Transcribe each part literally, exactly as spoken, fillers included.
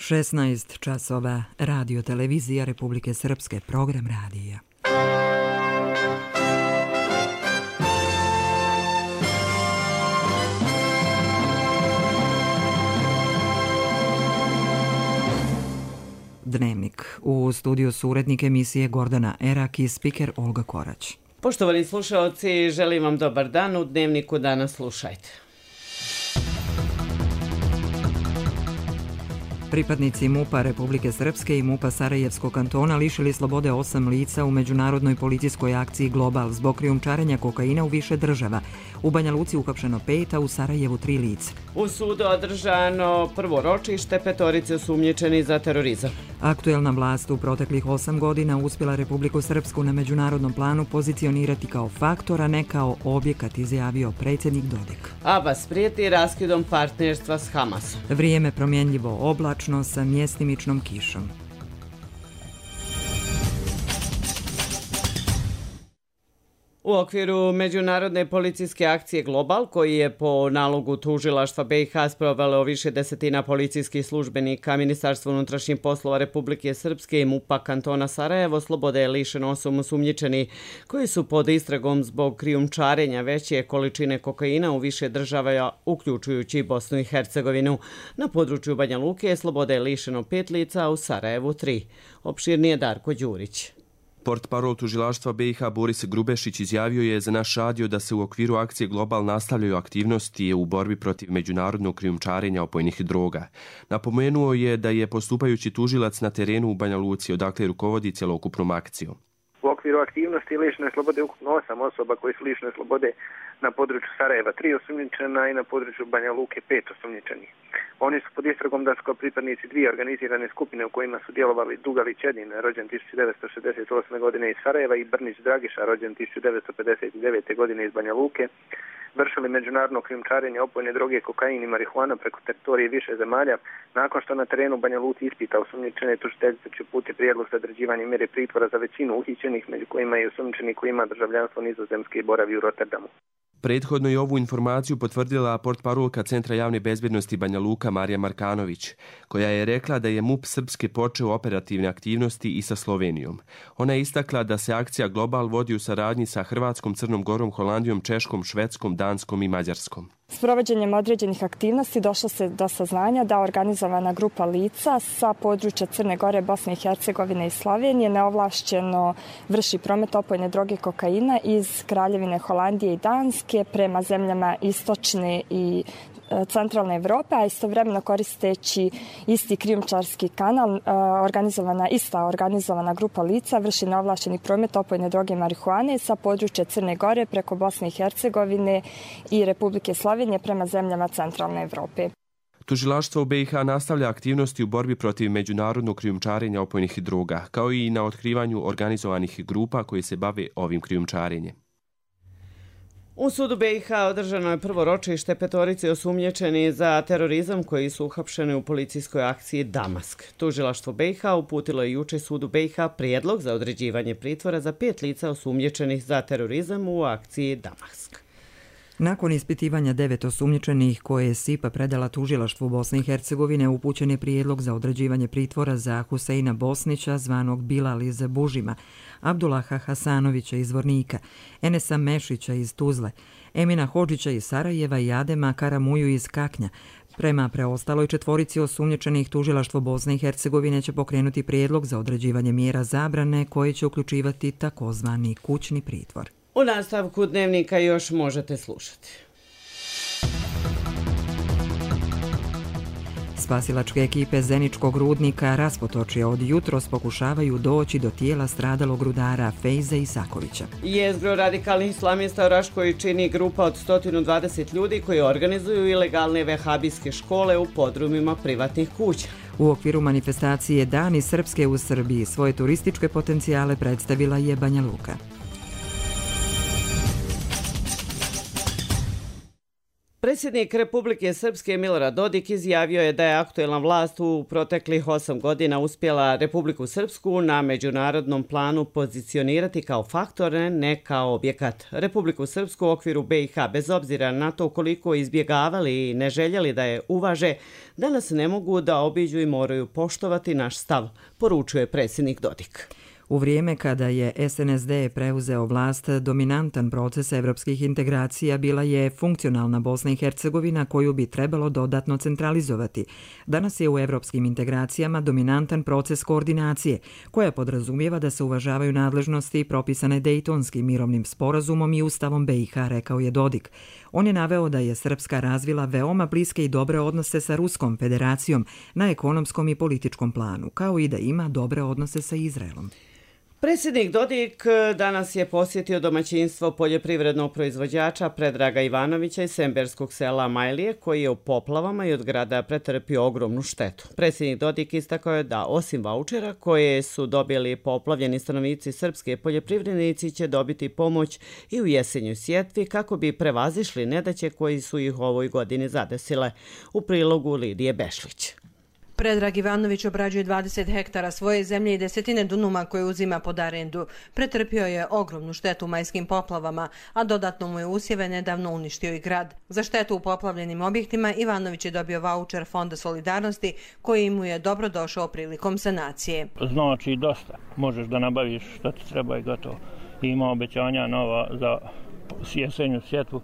šesnaest časova, Radio televizija Republike Srpske, program radija. Dnevnik. U studiju su urednik emisije Gordana Erak i spiker Olga Korać. Poštovani slušaoci, želim vam dobar dan. U Dnevniku danas slušajte. Pripadnici MUP-a Republike Srpske i MUP-a Sarajevskog kantona lišili slobode osam lica u međunarodnoj policijskoj akciji Global zbog krijumčarenja kokaina u više država. U Banja Luci uhapšeno pet, a u Sarajevu tri lica. U sudu održano prvo ročište petorice osumnjičeni za terorizam. Aktuelna vlast u proteklih osam godina uspjela Republiku Srpsku na međunarodnom planu pozicionirati kao faktor, a ne kao objekat, izjavio predsjednik Dodik. Abbas prijeti raskidom partnerstva s Hamasom. Vrijeme promjenljivo oblačno sa mjestimičnom kišom. U okviru međunarodne policijske akcije Global, koji je po nalogu tužilaštva B i H sprovelo više desetina policijskih službenika, Ministarstvo unutrašnjih poslova Republike Srpske i MUP-a kantona Sarajevo, slobode je lišeno osam osumnjičeni koji su pod istragom zbog krijumčarenja veće količine kokaina u više država, uključujući i Bosnu i Hercegovinu. Na području Banja Luke slobode je lišeno pet lica, a u Sarajevu tri. Opširnije Darko Đurić. Portparol tužilaštva B i H Boris Grubešić izjavio je za naš radio da se u okviru akcije Global nastavljaju aktivnosti u borbi protiv međunarodnog krijumčarenja opojnih droga. Napomenuo je da je postupajući tužilac na terenu u Banja Luci, odakle rukovodi cjelokupnom akcijom. U okviru aktivnosti lišene slobode ukupno osam osoba koji su lišene slobode na području Sarajeva tri osumnjičena i na području Banja Luke pet osumnjičenih. Oni su pod istragom da su kao pripadnici dvije organizirane skupine u kojima su djelovali Dugalić Edin, rođen tisuću devetsto šezdeset osme. godine iz Sarajeva, i Brnić Dragiša, rođen tisuću devetsto pedeset devete. godine iz Banja Luke, vršili međunarodno krijumčarenje opojne droge, kokain i marihuana preko teritorije više zemalja. Nakon što na terenu Banja Luci ispita osumnjičene, tužiteljica će uputiti prijedlog za određivanje mjere pritvora za većinu uhićenih, među kojima je osumnjičeni koji ima državljanstvo Nizozemske i boravi u Rotterdamu. Prethodno je ovu informaciju potvrdila portparolka Centra javne bezbjednosti Banja Luka Marija Markanović, koja je rekla da je MUP Srpske počeo operativne aktivnosti i sa Slovenijom. Ona je istakla da se akcija Global vodi u saradnji sa Hrvatskom, Crnom Gorom, Holandijom, Češkom, Švedskom, Danskom i Mađarskom. S provođenjem određenih aktivnosti došlo se do saznanja da organizovana grupa lica sa područja Crne Gore, Bosne i Hercegovine i Slovenije neovlašćeno vrši promet opojne droge kokaina iz Kraljevine Holandije i Danske prema zemljama istočne i centralne Evrope, a istovremeno koristeći isti krijumčarski kanal, organizovana, ista organizovana grupa lica vrši neovlašćeni promet opojne droge marihuane sa područja Crne Gore preko Bosne i Hercegovine i Republike Slovenije prema zemljama centralne Evrope. Tužilaštvo u B i H nastavlja aktivnosti u borbi protiv međunarodnog krijumčarenja opojnih droga, kao i na otkrivanju organizovanih grupa koji se bave ovim krijumčarenjem. U sudu B i H održano je prvo ročište petorice osumnjičeni za terorizam koji su uhapšeni u policijskoj akciji Damask. Tužilaštvo B i H uputilo je juče sudu B i H prijedlog za određivanje pritvora za pet lica osumnjičenih za terorizam u akciji Damask. Nakon ispitivanja devet osumnjičenih koje je S I P A predala tužilaštvu Bosne i Hercegovine, upućen je prijedlog za određivanje pritvora za Huseina Bosnića, zvanog Bilal iz Bužima, Abdullaha Hasanovića iz Vornika, Enesa Mešića iz Tuzle, Emina Hodžića iz Sarajeva i Adema Karamuju iz Kaknja. Prema preostaloj četvorici osumnjičenih, tužilaštvo Bosne i Hercegovine će pokrenuti prijedlog za određivanje mjera zabrane koje će uključivati takozvani kućni pritvor. U nastavku Dnevnika još možete slušati. Spasilačke ekipe Zeničkog rudnika Raspotočja od jutros pokušavaju doći do tijela stradalog rudara Fejze Isakovića. Jezgro radikalnih islamista u Raškoj čini grupa od sto dvadeset ljudi koji organizuju ilegalne vehabijske škole u podrumima privatnih kuća. U okviru manifestacije Dani Srpske u Srbiji svoje turističke potencijale predstavila je Banja Luka. Predsjednik Republike Srpske Milorad Dodik izjavio je da je aktuelna vlast u proteklih osam godina uspjela Republiku Srpsku na međunarodnom planu pozicionirati kao faktor, ne kao objekat. Republiku Srpsku u okviru be i ha, bez obzira na to koliko izbjegavali i ne željeli da je uvaže, danas ne mogu da obiđu i moraju poštovati naš stav, poručuje predsjednik Dodik. U vrijeme kada je es en es de preuzeo vlast, dominantan proces evropskih integracija bila je funkcionalna Bosna i Hercegovina koju bi trebalo dodatno centralizovati. Danas je u evropskim integracijama dominantan proces koordinacije, koja podrazumijeva da se uvažavaju nadležnosti propisane Dejtonskim mirovnim sporazumom i Ustavom be i ha, rekao je Dodik. On je naveo da je Srpska razvila veoma bliske i dobre odnose sa Ruskom federacijom na ekonomskom i političkom planu, kao i da ima dobre odnose sa Izraelom. Predsjednik Dodik danas je posjetio domaćinstvo poljoprivrednog proizvođača Predraga Ivanovića iz semberskog sela Majlije, koji je u poplavama i od grada pretrpio ogromnu štetu. Predsjednik Dodik istakao je da osim vaučera koje su dobili poplavljeni stanovnici srpske, poljoprivrednici će dobiti pomoć i u jesenjoj sjetvi kako bi prevazišli nedaće koji su ih u ovoj godini zadesile. U prilogu Lidije Bešlić. Predrag Ivanović obrađuje dvadeset hektara svoje zemlje i desetine dunuma koje uzima pod arendu. Pretrpio je ogromnu štetu u majskim poplavama, a dodatno mu je usjeve nedavno uništio i grad. Za štetu u poplavljenim objektima Ivanović je dobio vaučer Fonda solidarnosti koji mu je dobro došao prilikom sanacije. Znači dosta. Možeš da nabaviš što ti treba i gotovo. Ima obećanja nova za jesenju sjetvu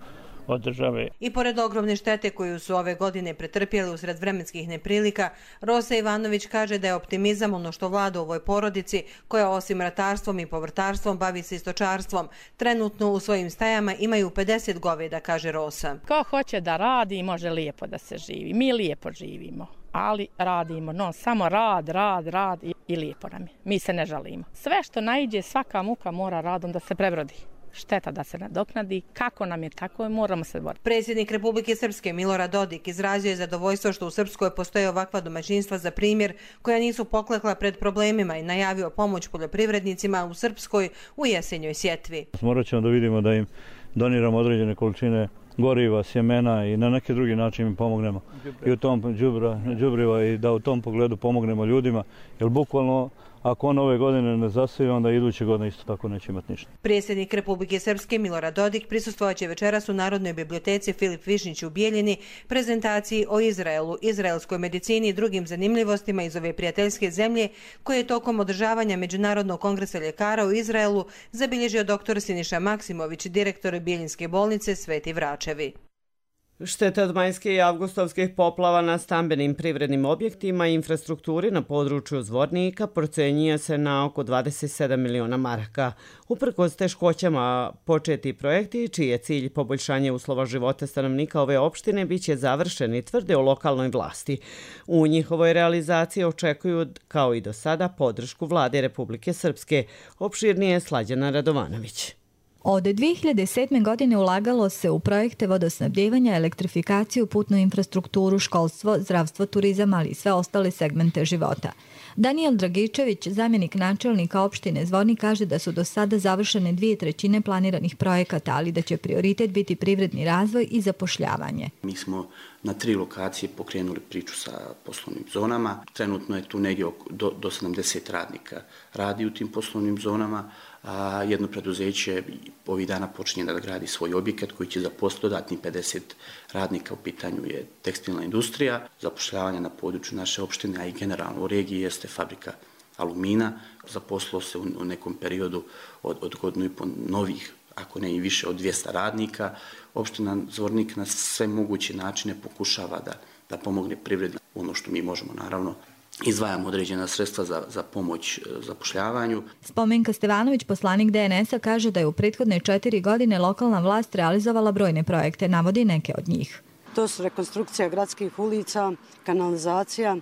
od države. I pored ogromne štete koju su ove godine pretrpjeli usred vremenskih neprilika, Rosa Ivanović kaže da je optimizam ono što vlada u ovoj porodici, koja osim ratarstvom i povrtarstvom bavi se i stočarstvom. Trenutno u svojim stajama imaju pedeset goveda, kaže Rosa. Ko hoće da radi, može lijepo da se živi. Mi lijepo živimo, ali radimo. No, samo rad, rad, rad i, i lijepo nam je. Mi se ne žalimo. Sve što naiđe, svaka muka mora radom da se prebrodi. Šteta da se nadoknadi, kako nam je tako, moramo se boriti. Predsjednik Republike Srpske Milorad Dodik izrazio je zadovoljstvo što u Srpskoj postoje ovakva domaćinstva za primjer koja nisu poklekla pred problemima i najavio pomoć poljoprivrednicima u Srpskoj u jesenjoj sjetvi. Morat ćemo da vidimo da im doniramo određene količine goriva, sjemena i na neki drugi način im pomognemo. I u tom đubra, đubriva i da u tom pogledu pomognemo ljudima, jer bukvalno ako on ove godine ne zaseje, onda iduće godine isto tako neće imati ništa. Predsjednik Republike Srpske Milorad Dodik prisustvovat će večeras u Narodnoj biblioteci Filip Višnjić u Bijeljini prezentaciji o Izraelu, izraelskoj medicini i drugim zanimljivostima iz ove prijateljske zemlje koje je tokom održavanja Međunarodnog kongresa ljekara u Izraelu zabilježio doktor Siniša Maksimović, direktor Bijeljinske bolnice Sveti Vračevi. Štete od majske i avgustovskih poplava na stambenim privrednim objektima i infrastrukturi na području Zvornika procenjuje se na oko dvadeset sedam miliona maraka. Uprkos teškoćama početi projekti, čiji je cilj poboljšanje uslova života stanovnika ove opštine, bit će završeni, tvrde u lokalnoj vlasti. U njihovoj realizaciji očekuju, kao i do sada, podršku vlade Republike Srpske. Opširnije Slađana Radovanović. Od dvije hiljade sedme. godine ulagalo se u projekte vodosnabdjevanja, elektrifikaciju, putnu infrastrukturu, školstvo, zdravstvo, turizam, ali i sve ostale segmente života. Daniel Dragičević, zamjenik načelnika opštine Zvornik, kaže da su do sada završene dvije trećine planiranih projekata, ali da će prioritet biti privredni razvoj i zapošljavanje. Mi smo na tri lokacije pokrenuli priču sa poslovnim zonama. Trenutno je tu negdje do, do sedamdeset radnika radi u tim poslovnim zonama. A jedno preduzeće ovih dana počinje da gradi svoj objekat koji će zaposliti dodatnih pedeset radnika. U pitanju je tekstilna industrija, zapošljavanje na području naše opštine, a i generalno u regiji jeste fabrika alumina. Zaposlilo se u nekom periodu od, od godinu i po novih, ako ne i više od dvjesto radnika. Opština Zvornik na sve moguće načine pokušava da, da pomogne privredi. Ono što mi možemo, naravno, izdvajamo određena sredstva za, za pomoć zapošljavanju. Spomenka Stevanović, poslanik de en es-a, kaže da je u prethodne četiri godine lokalna vlast realizovala brojne projekte, navodi neke od njih. To su rekonstrukcija gradskih ulica, kanalizacija,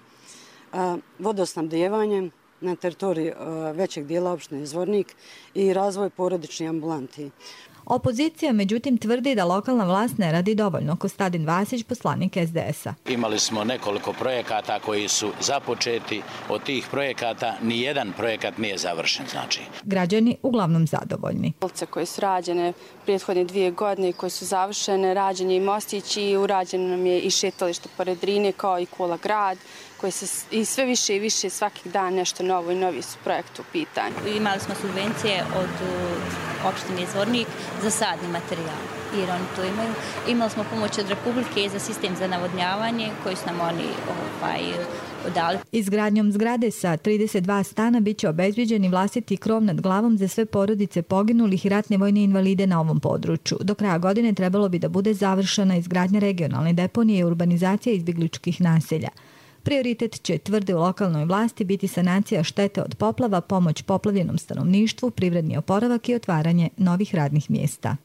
vodosnabdjevanje na teritoriji većeg dijela opštine Zvornik i razvoj porodičnih ambulanti. Opozicija međutim tvrdi da lokalna vlast ne radi dovoljno. Kostadin Vasić, poslanik S D S-a. Imali smo nekoliko projekata koji su započeti. Od tih projekata ni jedan projekat nije završen. Znači. Građani uglavnom zadovoljni. Ulice koje su rađene prethodne dvije godine, koje su završene, rađen je i mostić i urađeno nam je i šetalište pored Drine kao i Kula grad. Koje se i sve više i više svakih dan nešto novo i novi su projekt u pitanju. Imali smo subvencije od opštine Zvornik za sadni materijal, jer oni to imaju. Imali smo pomoć od Republike za sistem za navodnjavanje koji su nam oni ovaj, dali. Izgradnjom zgrade sa trideset dva stana biće obezbeđen i vlastiti krov nad glavom za sve porodice poginulih i ratne vojne invalide na ovom području. Do kraja godine trebalo bi da bude završena izgradnja regionalne deponije i urbanizacija izbjegličkih naselja. Prioritet će, tvrde u lokalnoj vlasti, biti sanacija štete od poplava, pomoć poplavljenom stanovništvu, privredni oporavak i otvaranje novih radnih mjesta.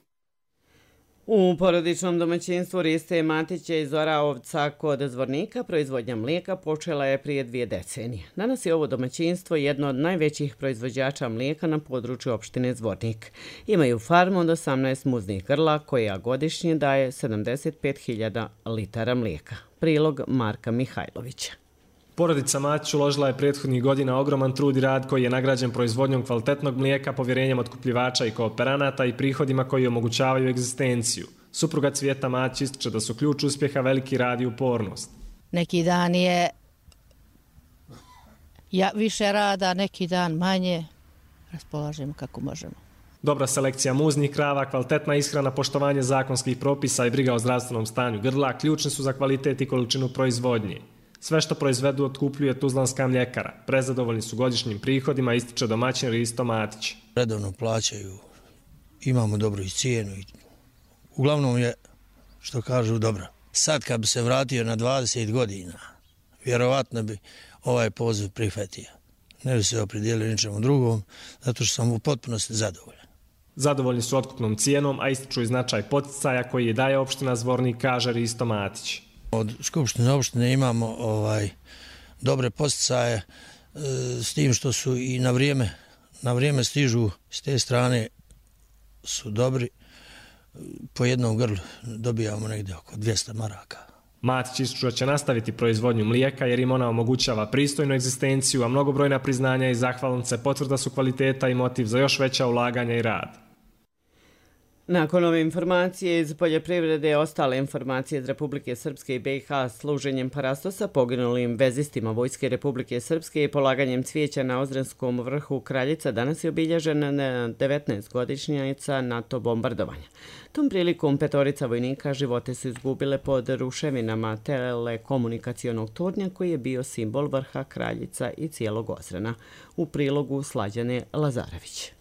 U porodičnom domaćinstvu Riste Matića iz Oraovca kod Zvornika proizvodnja mlijeka počela je prije dvije decenije. Danas je ovo domaćinstvo jedno od najvećih proizvođača mlijeka na području opštine Zvornik. Imaju farmu od osamnaest muznih grla koja godišnje daje sedamdeset pet hiljada litara mlijeka. Prilog Marka Mihajlovića. Porodica Matić uložila je prethodnih godina ogroman trud i rad koji je nagrađen proizvodnjom kvalitetnog mlijeka, povjerenjem otkupljivača i kooperanata i prihodima koji omogućavaju egzistenciju. Supruga Cvijeta Matić ističe da su ključ uspjeha veliki rad i upornost. Neki dan je ja, više rada, neki dan manje. Raspolažemo kako možemo. Dobra selekcija muznih krava, kvalitetna ishrana, poštovanje zakonskih propisa i briga o zdravstvenom stanju grla ključni su za kvalitet i količinu proizvodnje. Sve što proizvedu otkupljuje Tuzlanska mljekara. Prezadovoljni su godišnjim prihodima, ističe domaćin Risto Matić. Redovno plaćaju, imamo dobru i cijenu. Uglavnom je, što kažu, dobro. Sad kad bi se vratio na dvadeset godina, vjerovatno bi ovaj poziv prihvatio. Ne bi se opredijelio ničemu drugom, zato što sam u potpunosti zadovoljan. Zadovoljni su otkupnom cijenom, a ističu i značaj poticaja koji je daje opština Zvornik, kaže Risto Matić. Od Skupštine opštine imamo ovaj dobre poticaje e, s tim što su i na vrijeme, na vrijeme stižu s te strane su dobri. Po jednom grlu dobijamo negdje oko dvjesto maraka. Matić ističu da će nastaviti proizvodnju mlijeka jer im ona omogućava pristojnu egzistenciju, a mnogobrojna priznanja i zahvalnice potvrda su kvaliteta i motiv za još veća ulaganja i rad. Nakon ove informacije iz poljoprivrede, ostale informacije iz Republike Srpske i B i H služenjem parastosa poginulim vezistima Vojske Republike Srpske i polaganjem cvijeća na Ozrenskom vrhu Kraljica danas je obilježena devetnaestogodišnjica NATO bombardovanja. Tom prilikom petorica vojnika živote su izgubile pod ruševinama telekomunikacionog tornja koji je bio simbol vrha Kraljica i cijelog Ozrena. U prilogu Slađane Lazarević.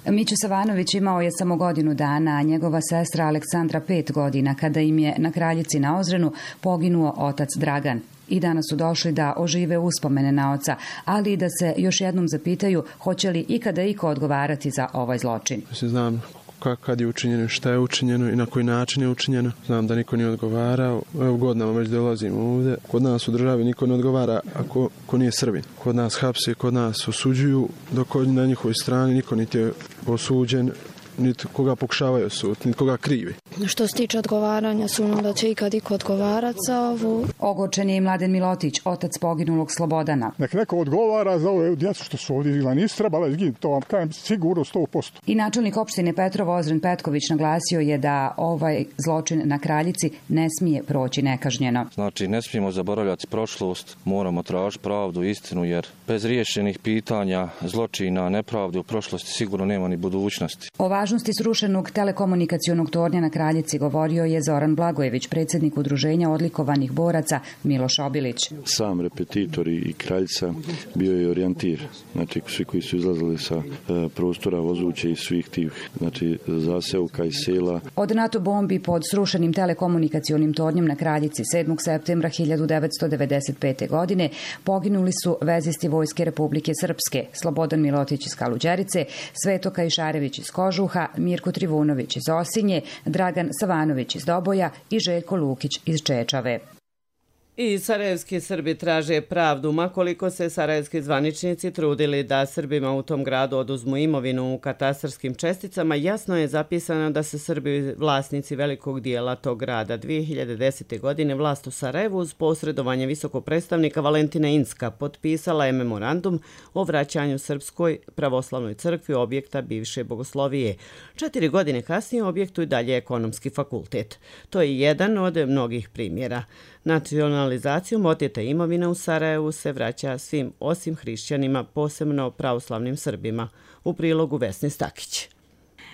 Mićo Savanović imao je samo godinu dana, a njegova sestra Aleksandra pet godina, kada im je na Kraljici na Ozrenu poginuo otac Dragan. I danas su došli da ožive uspomene na oca, ali i da se još jednom zapitaju hoće li ikada iko odgovarati za ovaj zločin. Znam kad je učinjeno, šta je učinjeno i na koji način je učinjeno. Znam da niko nije odgovarao. Evo godinama već dolazimo ovdje. Kod nas u državi niko ne odgovara ako, ako nije Srbin. Kod nas hapse, kod nas osuđuju, dok na njihovoj strani niko niti je osuđen, niti koga pokušavaju osuditi, niti koga krivi. Što se tiče odgovaranja, sumnjam da će ikad iko odgovarati za ovu. Ogorčen je i Mladen Milotić, otac poginulog Slobodana. Nek neko odgovara za ove djecu što su ovdje žila. Nisu trebala izginiti, to vam kajem sigurno sto posto. I načelnik opštine Petrovo Ozren Petković naglasio je da ovaj zločin na Kraljici ne smije proći nekažnjeno. Znači, ne smijemo zaboravljati prošlost, moramo tražiti pravdu, istinu, jer bez riješenih pitanja, zločina, nepravde u prošlosti sigurno nema ni budućnosti. O važnosti srušenog telekomunikacionog tornja na Kraljici govorio je Zoran Blagojević, predsjednik udruženja odlikovanih boraca Miloš Obilić. Sam repetitor i Kraljica bio je orijentir, znači svi koji su izlazili sa e, prostora Vozuće i svih tih znači, zaseoka i sela. Od NATO bombi pod srušenim telekomunikacionim tornjem na Kraljici sedmog septembra hiljadu devetsto devedeset pete. godine poginuli su vezisti Vojske Republike Srpske, Slobodan Milotić iz Kaluđerice, Sveto Kajšarević iz Kožuha, Mirko Trivunović iz Osinje, Dragan Savanović iz Doboja i Željko Lukić iz Čečave. I sarajevski Srbi traže pravdu, makoliko se sarajevski zvaničnici trudili da Srbima u tom gradu oduzmu imovinu u katastarskim česticama, jasno je zapisano da se Srbi vlasnici velikog dijela tog grada. dvije hiljade desete. godine vlast u Sarajevu uz posredovanje visokog predstavnika Valentina Incka potpisala je memorandum o vraćanju Srpskoj pravoslavnoj crkvi objekta bivše bogoslovije. Četiri godine kasnije objektu i dalje ekonomski fakultet. To je jedan od mnogih primjera. Nacionalizacijom oteta imovina u Sarajevu se vraća svim osim hrišćanima, posebno pravoslavnim Srbima. U prilogu Vesni Stakić.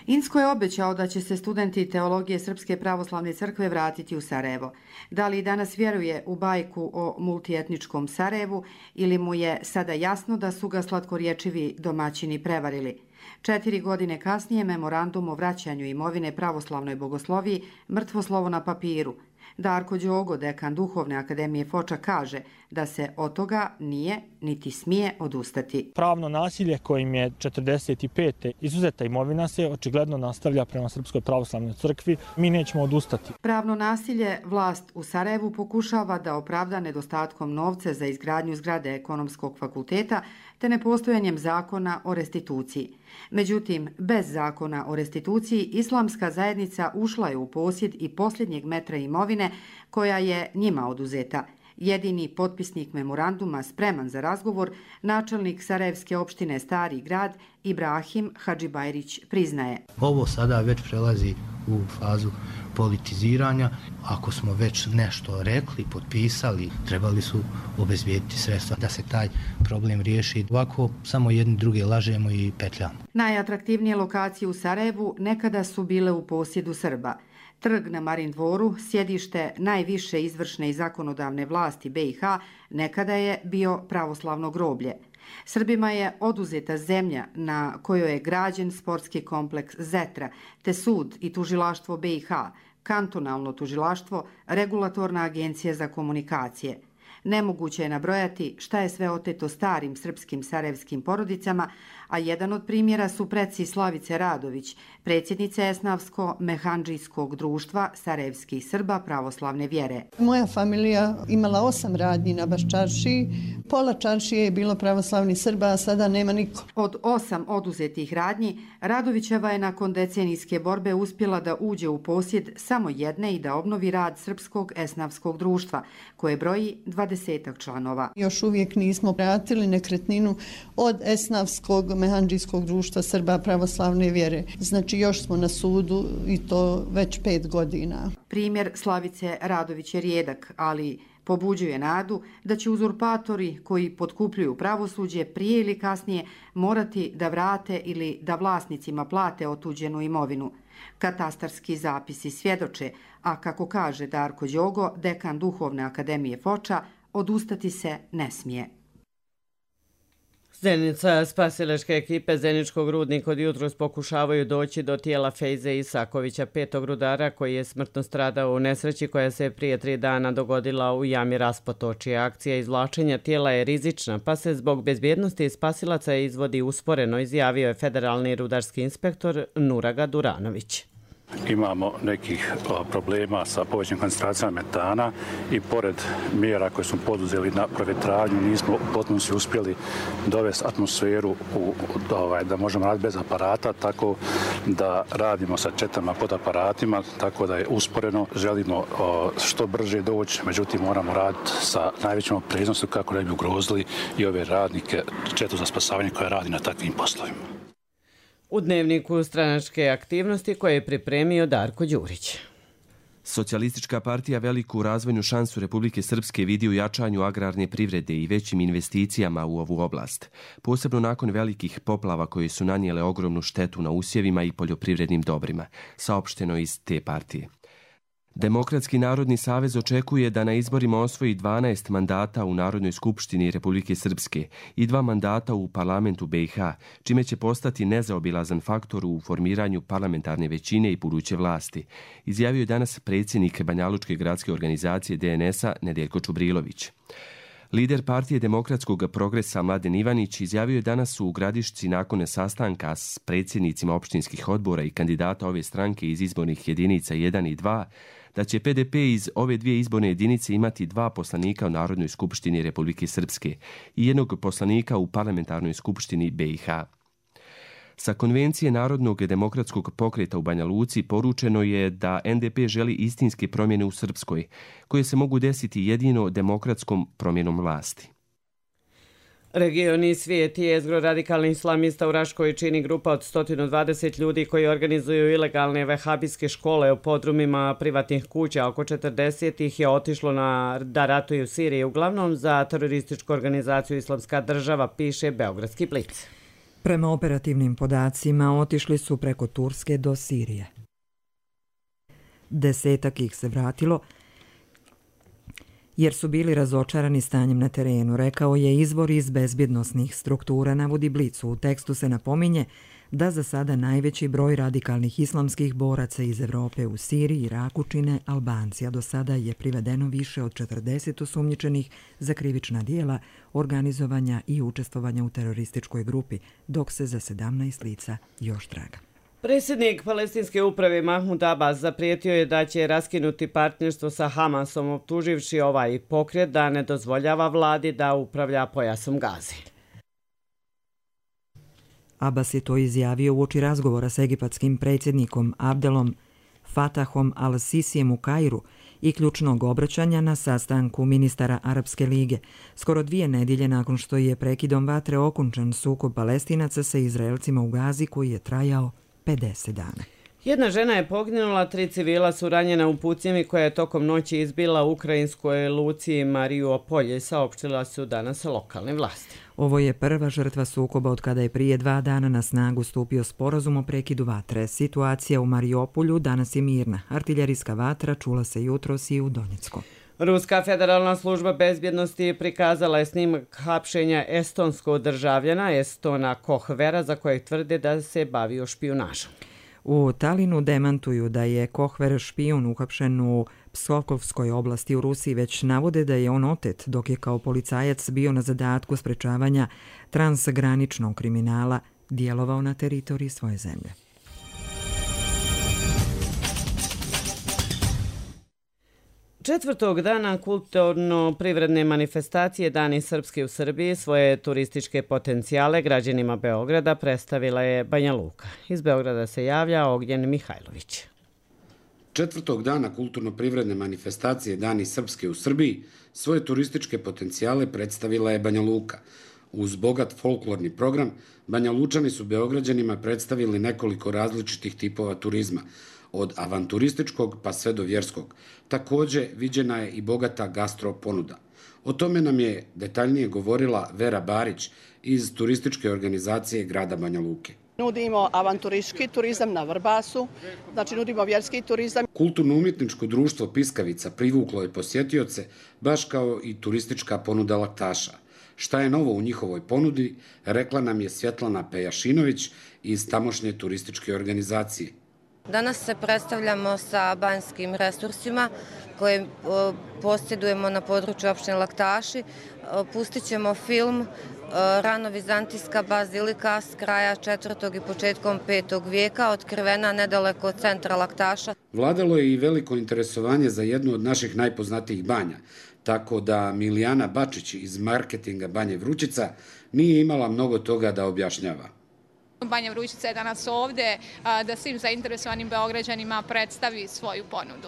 Incko je obećao da će se studenti teologije Srpske pravoslavne crkve vratiti u Sarajevo. Da li danas vjeruje u bajku o multietničkom Sarajevu ili mu je sada jasno da su ga slatkorječivi domaćini prevarili? Četiri godine kasnije memorandum o vraćanju imovine pravoslavnoj bogosloviji mrtvo slovo na papiru. Darko Đogo, dekan Duhovne akademije Foča, kaže da se od toga nije niti smije odustati. Pravno nasilje kojim je četrdeset pete izuzeta imovina se očigledno nastavlja prema Srpskoj pravoslavnoj crkvi. Mi nećemo odustati. Pravno nasilje vlast u Sarajevu pokušava da opravda nedostatkom novca za izgradnju zgrade ekonomskog fakulteta te nepostojanjem zakona o restituciji. Međutim, bez zakona o restituciji islamska zajednica ušla je u posjed i posljednjeg metra imovine koja je njima oduzeta. Jedini potpisnik memoranduma spreman za razgovor, načelnik Sarajevske opštine Stari grad Ibrahim Hadžibajrić priznaje. Ovo sada već prelazi u fazu politiziranja. Ako smo već nešto rekli, potpisali, trebali su obezbijediti sredstva da se taj problem riješi. Ovako samo jedni druge lažemo i petljamo. Najatraktivnije lokacije u Sarajevu nekada su bile u posjedu Srba. Trg na Marin dvoru, sjedište najviše izvršne i zakonodavne vlasti be i ha, nekada je bio pravoslavno groblje. Srbima je oduzeta zemlja na kojoj je građen sportski kompleks Zetra, te sud i tužilaštvo be i ha, kantonalno tužilaštvo, regulatorna agencija za komunikacije. Nemoguće je nabrojati šta je sve oteto starim srpskim sarajevskim porodicama, a jedan od primjera su preci Slavice Radović, predsjednice Esnavsko-mehandžijskog društva sarajevskih Srba pravoslavne vjere. Moja familija imala osam radnji na baš čaršiji, pola čaršije je bilo pravoslavnih Srba, a sada nema niko. Od osam oduzetih radnji, Radovićeva je nakon decenijske borbe uspjela da uđe u posjed samo jedne i da obnovi rad Srpskog esnavskog društva, koje broji dvadesetak članova. Još uvijek nismo vratili nekretninu od Esnavskog mehandžijskog društva Srba pravoslavne vjere. Znači još smo na sudu i to već pet godina. Primjer Slavice Radović je rijedak, ali pobuđuje nadu da će uzurpatori koji potkupljuju pravosuđe prije ili kasnije morati da vrate ili da vlasnicima plate otuđenu imovinu. Katastarski zapisi svjedoče, a kako kaže Darko Đogo, dekan Duhovne akademije Foča, odustati se ne smije. Zenica spasilačke ekipe Zeničkog rudnika od jutros pokušavaju doći do tijela Fejze Isakovića, petog rudara koji je smrtno stradao u nesreći koja se prije tri dana dogodila u jami Raspotočje. Akcija izvlačenja tijela je rizična, pa se zbog bezbjednosti spasilaca izvodi usporeno, izjavio je federalni rudarski inspektor Nuraga Duranović. Imamo nekih problema sa povećanim koncentracijama metana i pored mjera koje smo poduzeli na provjetravanju nismo u potpunosti uspjeli dovesti atmosferu u, ovaj, da možemo raditi bez aparata, tako da radimo sa četama pod aparatima, tako da je usporeno. Želimo o, što brže doći, međutim moramo raditi sa najvećom opreznošću kako ne bi ugrozili i ove radnike, četu za spasavanje koja radi na takvim poslovima. U dnevniku stranačke aktivnosti koje je pripremio Darko Đurić. Socijalistička partija veliku razvojnu šansu Republike Srpske vidi u jačanju agrarne privrede i većim investicijama u ovu oblast, posebno nakon velikih poplava koje su nanijele ogromnu štetu na usjevima i poljoprivrednim dobrima, saopšteno iz te partije. Demokratski narodni savez očekuje da na izborima osvoji dvanaest mandata u Narodnoj skupštini Republike Srpske i dva mandata u parlamentu be i ha, čime će postati nezaobilazan faktor u formiranju parlamentarne većine i buduće vlasti, izjavio je danas predsjednik Banjalučke gradske organizacije de en es a Nedeljko Čubrilović. Lider partije Demokratskog progresa Mladen Ivanić izjavio je danas u Gradišci nakon sastanka s predsjednicima opštinskih odbora i kandidata ove stranke iz izbornih jedinica jedan i dva da će P D P iz ove dvije izborne jedinice imati dva poslanika u Narodnoj skupštini Republike Srpske i jednog poslanika u Parlamentarnoj skupštini B i H. Sa konvencije Narodnog demokratskog pokreta u Banja Luci poručeno je da N D P želi istinske promjene u Srpskoj, koje se mogu desiti jedino demokratskom promjenom vlasti. Regioni svijet jezgro radikalnih islamista u Raškoj čini grupa od sto dvadeset ljudi koji organizuju ilegalne vehabijske škole u podrumima privatnih kuća. Oko četrdeset ih je otišlo na, da ratuju u Siriji, uglavnom za terorističku organizaciju Islamska država, piše Beogradski Blic. Prema operativnim podacima otišli su preko Turske do Sirije. Desetak ih se vratilo jer su bili razočarani stanjem na terenu, rekao je izvor iz bezbjednosnih struktura, navodi Blicu. U tekstu se napominje da za sada najveći broj radikalnih islamskih boraca iz Evrope u Siriji i Iraku čine Albanci, a do sada je privedeno više od četrdeset osumnjičenih za krivična dijela, organizovanja i učestvovanja u terorističkoj grupi, dok se za sedamnaest lica još traga. Predsjednik palestinske uprave Mahmud Abbas zaprijetio je da će raskinuti partnerstvo sa Hamasom, optuživši ovaj pokret da ne dozvoljava vladi da upravlja pojasom Gaze. Abbas je to izjavio uoči razgovora s egipatskim predsjednikom Abdelom Fatahom al-Sisijem u Kairu i ključnog obraćanja na sastanku ministara Arapske lige, skoro dvije nedjelje nakon što je prekidom vatre okončan sukob Palestinaca sa Izraelcima u Gazi koji je trajao pedeset dana. Jedna žena je poginula, tri civila su ranjena u pucnjevi koja je tokom noći izbila u ukrajinskoj luci Mariupolje, saopštila su danas lokalne vlasti. Ovo je prva žrtva sukoba od kada je prije dva dana na snagu stupio sporazum o prekidu vatre. Situacija u Mariupolju danas je mirna. Artiljerijska vatra čula se jutros i u Donjecku. Ruska federalna služba bezbjednosti prikazala je snimak hapšenja estonskog državljana Estona Kohvera, za kojeg tvrde da se bavio špijunažom. U Talinu demantuju da je Kohver špijun uhapšen u Pskovkovskoj oblasti u Rusiji, već navode da je on otet dok je kao policajac bio na zadatku sprečavanja transgraničnog kriminala, djelovao na teritoriji svoje zemlje. Četvrtog dana kulturno-privredne manifestacije Dani Srpske u Srbiji svoje turističke potencijale građanima Beograda predstavila je Banja Luka. Iz Beograda se javlja Ognjen Mihajlović. Četvrtog dana kulturno-privredne manifestacije Dani Srpske u Srbiji svoje turističke potencijale predstavila je Banja Luka. Uz bogat folklorni program, Banja Lučani su Beograđanima predstavili nekoliko različitih tipova turizma, od avanturističkog pa sve do vjerskog. Također viđena je i bogata gastro ponuda. O tome nam je detaljnije govorila Vera Barić iz turističke organizacije grada Banja Luke. Nudimo avanturistički turizam na Vrbasu, znači nudimo vjerski turizam. Kulturno-umjetničko društvo Piskavica privuklo je posjetioce, baš kao i turistička ponuda laktaša. Šta je novo u njihovoj ponudi, rekla nam je Svjetlana Pejašinović iz tamošnje turističke organizacije. Danas se predstavljamo sa banjskim resursima koje posjedujemo na području opštine Laktaši. Pustit ćemo film Rano-vizantijska bazilika s kraja četvrtog i početkom petog vijeka, otkrivena nedaleko od centra Laktaša. Vladalo je i veliko interesovanje za jednu od naših najpoznatijih banja, tako da Milijana Bačić iz marketinga Banje Vrućica nije imala mnogo toga da objašnjava. Banja Vrućica je danas ovdje da svim zainteresovanim Beograđanima predstavi svoju ponudu.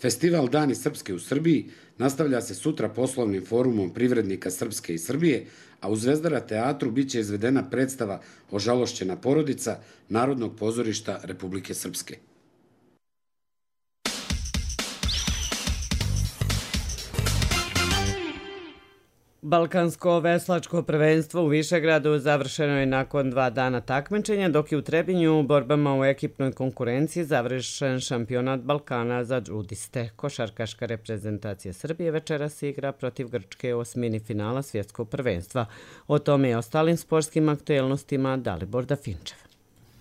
Festival Dani Srpske u Srbiji nastavlja se sutra poslovnim forumom privrednika Srpske i Srbije, a u Zvezdara teatru biće izvedena predstava Ožalošćena porodica Narodnog pozorišta Republike Srpske. Balkansko veslačko prvenstvo u Višegradu završeno je nakon dva dana takmičenja, dok je u Trebinju u borbama u ekipnoj konkurenciji završen šampionat Balkana za džudiste. Košarkaška reprezentacija Srbije večeras igra protiv Grčke u osmini finala svjetskog prvenstva. O tome i ostalim sportskim aktuelnostima Dalibor Dafinčev.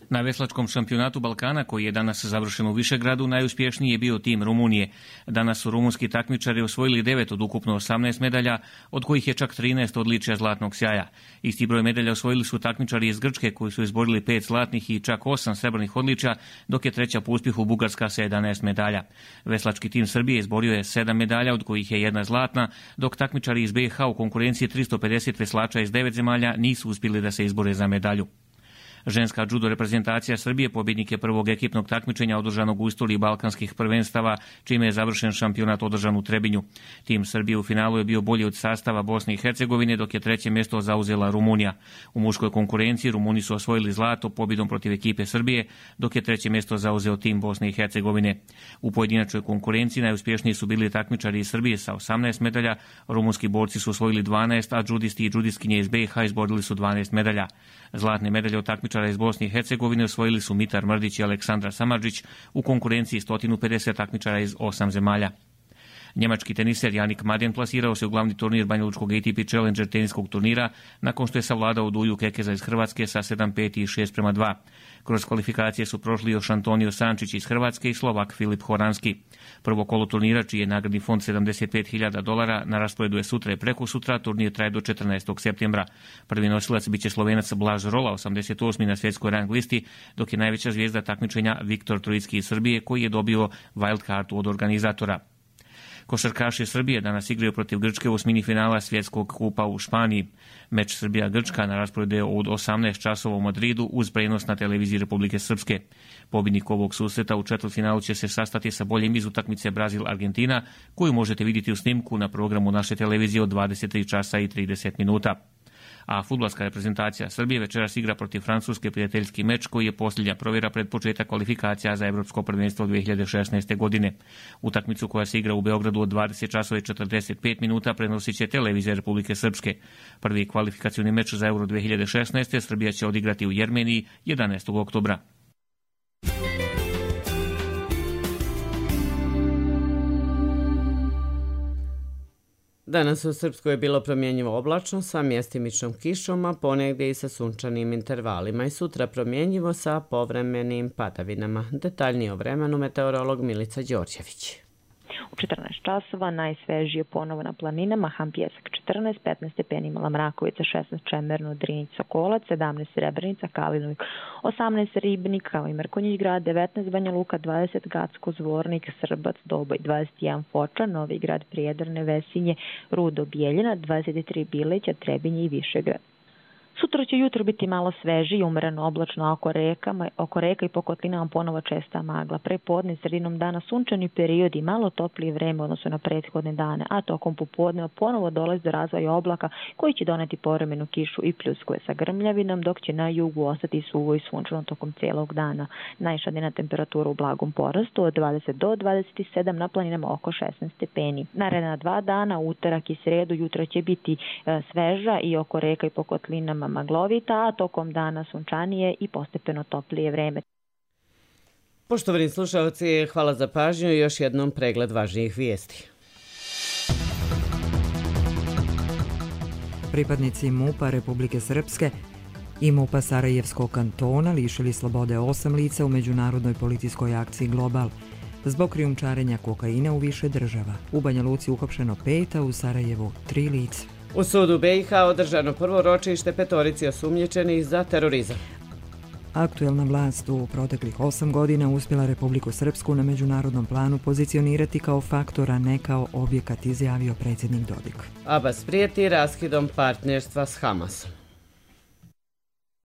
Na veslačkom šampionatu Balkana, koji je danas završen u Višegradu, najuspješniji je bio tim Rumunije. Danas su rumunski takmičari osvojili devet od ukupno osamnaest medalja, od kojih je čak trinaest odličja zlatnog sjaja. Isti broj medalja osvojili su takmičari iz Grčke, koji su izborili pet zlatnih i čak osam srebrnih odličja, dok je treća po uspjehu Bugarska sa jedanaest medalja. Veslački tim Srbije izborio je sedam medalja, od kojih je jedna zlatna, dok takmičari iz B i H u konkurenciji tristo pedeset veslača iz devet zemalja nisu uspjeli da se izbore za medalju. Ženska judo reprezentacija Srbije pobjednik je prvog ekipnog takmičenja održanog u istoriji balkanskih prvenstava, čime je završen šampionat održan u Trebinju. Tim Srbije u finalu je bio bolji od sastava Bosne i Hercegovine, dok je treće mjesto zauzela Rumunija. U muškoj konkurenciji Rumuni su osvojili zlato pobjedom protiv ekipe Srbije, dok je treće mjesto zauzeo tim Bosne i Hercegovine. U pojedinačnoj konkurenciji najuspješniji su bili takmičari iz Srbije sa osamnaest medalja, rumunski borci su osvojili dvanaest, a judisti i judistkinje iz B i H izborili su dvanaest medalja. Zlatne medalje od takmičara iz Bosne i Hercegovine osvojili su Mitar Mrdić i Aleksandra Samardžić u konkurenciji sto pedeset takmičara iz osam zemalja. Njemački teniser Janik Madjen plasirao se u glavni turnir banjalučkog A T P Challenger teniskog turnira nakon što je savladao Duju Kekeza iz Hrvatske sa sedam pet i šest prema dva. Kroz kvalifikacije su prošli još Antonio Sančić iz Hrvatske i Slovak Filip Horanski. Prvo kolo turnira, čiji je nagradni fond sedamdeset pet hiljada dolara, na rasporedu je sutra i preko sutra, turnir traje do četrnaestog septembra. Prvi nosilac biće Slovenac Blaž Rola, osamdeset osmi na svjetskoj rang listi, dok je najveća zvijezda takmičenja Viktor Trojicki iz Srbije, koji je dobio wild kartu od organizatora. Košarkaši Srbije danas igraju protiv Grčke u osmini finala svjetskog kupa u Španiji. Meč Srbija-Grčka na rasporedu je od osamnaest časova u Madridu uz prenos na televiziji Republike Srpske. Pobjednik ovog susreta u četvrtfinalu će se sastati sa boljim iz utakmice Brazil-Argentina, koju možete vidjeti u snimku na programu naše televizije od dvadeset tri časa i trideset minuta. A fudbalska reprezentacija Srbije večeras igra protiv Francuske prijateljski meč, koji je posljednja provjera pred početak kvalifikacija za Evropsko prvenstvo dvije hiljade šesnaeste. godine. Utakmicu koja se igra u Beogradu od dvadeset časova i četrdeset pet minuta prenosit će televizija Republike Srpske. Prvi kvalifikacioni meč za Euro dvije hiljade šesnaeste. Srbija će odigrati u Jermeniji jedanaestog oktobra. Danas u Srpskoj je bilo promjenjivo oblačno sa mjestimičnom kišom, a ponegdje i sa sunčanim intervalima, i sutra promjenjivo sa povremenim padavinama. Detaljnije o vremenu meteorolog Milica Đorđević. U četrnaest časova najsvežije ponovo na planinama, Ham Pjesak četrnaest, petnaest stepeni Mala Mrakovica, šesnaest Čemerno, Drinjić, Sokolac, sedamnaest Srebrenica, Kalinovik, osamnaest Ribnik, kao i Mrkonjić grad, devetnaest Banja Luka, dvadeset Gacko, Zvornik, Srbac, Doboj, dvadeset jedan Foča, Novi grad, Prijedarne, Vesinje, Rudo, Bijeljina, dvadeset tri Bileća, Trebinje i Višegrad. Sutra će jutro biti malo sveži i umereno oblačno oko rekama, oko reka i po kotlinama ponovo česta magla. Pre podne sredinom dana sunčani period i malo toplije vreme odnosno na prethodne dane, a tokom popodneva ponovo dolazi do razvoja oblaka koji će doneti povremenu kišu i pljuskove sa grmljavinom, dok će na jugu ostati suvo i sunčano tokom cijelog dana. Najviša dnevna temperatura u blagom porastu od dvadeset do dvadeset sedam, na planinama oko šesnaest stepeni. Naredna dva dana, utorak i sredu, jutro će biti e, sveža i oko reka i po kotlinama maglovita, a tokom dana sunčanije i postepeno toplije vreme. Poštovani slušalci, hvala za pažnju i još jednom pregled važnijih vijesti. Pripadnici MUP-a Republike Srpske i MUP-a Sarajevskog kantona lišili slobode osam lica u međunarodnoj policijskoj akciji Global zbog krijumčarenja kokaina u više država. U Banja Luci uhapšeno pet, a u Sarajevu tri lica. U sudu B i H održano prvo ročište petorici osumnjičenih za terorizam. Aktuelna vlast u proteklih osam godina uspjela Republiku Srpsku na međunarodnom planu pozicionirati kao faktor, a ne kao objekat, izjavio predsjednik Dodik. Abbas prijeti raskidom partnerstva s Hamasom.